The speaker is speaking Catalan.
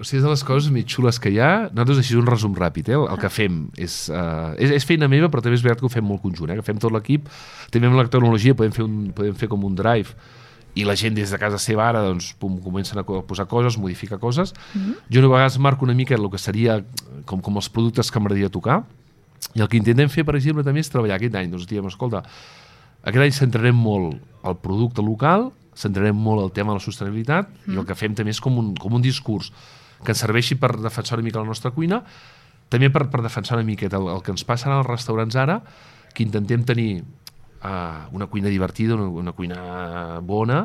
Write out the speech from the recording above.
O sigui, és de les coses més xules que hi ha. Nosaltres, així un resum ràpid, el que fem és feina meva, però també és veritat que ho fem molt conjunt, que fem tot l'equip. També amb la tecnologia podem fer com un drive i la gent des de casa seva ara doncs, comencen a posar coses, modificar coses. Jo a vegades marco una mica el que seria com els productes que m'agradaria tocar, i el que intentem fer, per exemple, també és treballar aquest any. Doncs diem, escolta, aquest any centrarem molt el producte local, centrarem molt el tema de la sostenibilitat, i el que fem també és com un discurs que ens serveixi per defensar una mica la nostra cuina, també per defensar una miqueta el que ens passa als restaurants ara, que intentem tenir una cuina divertida, una cuina bona,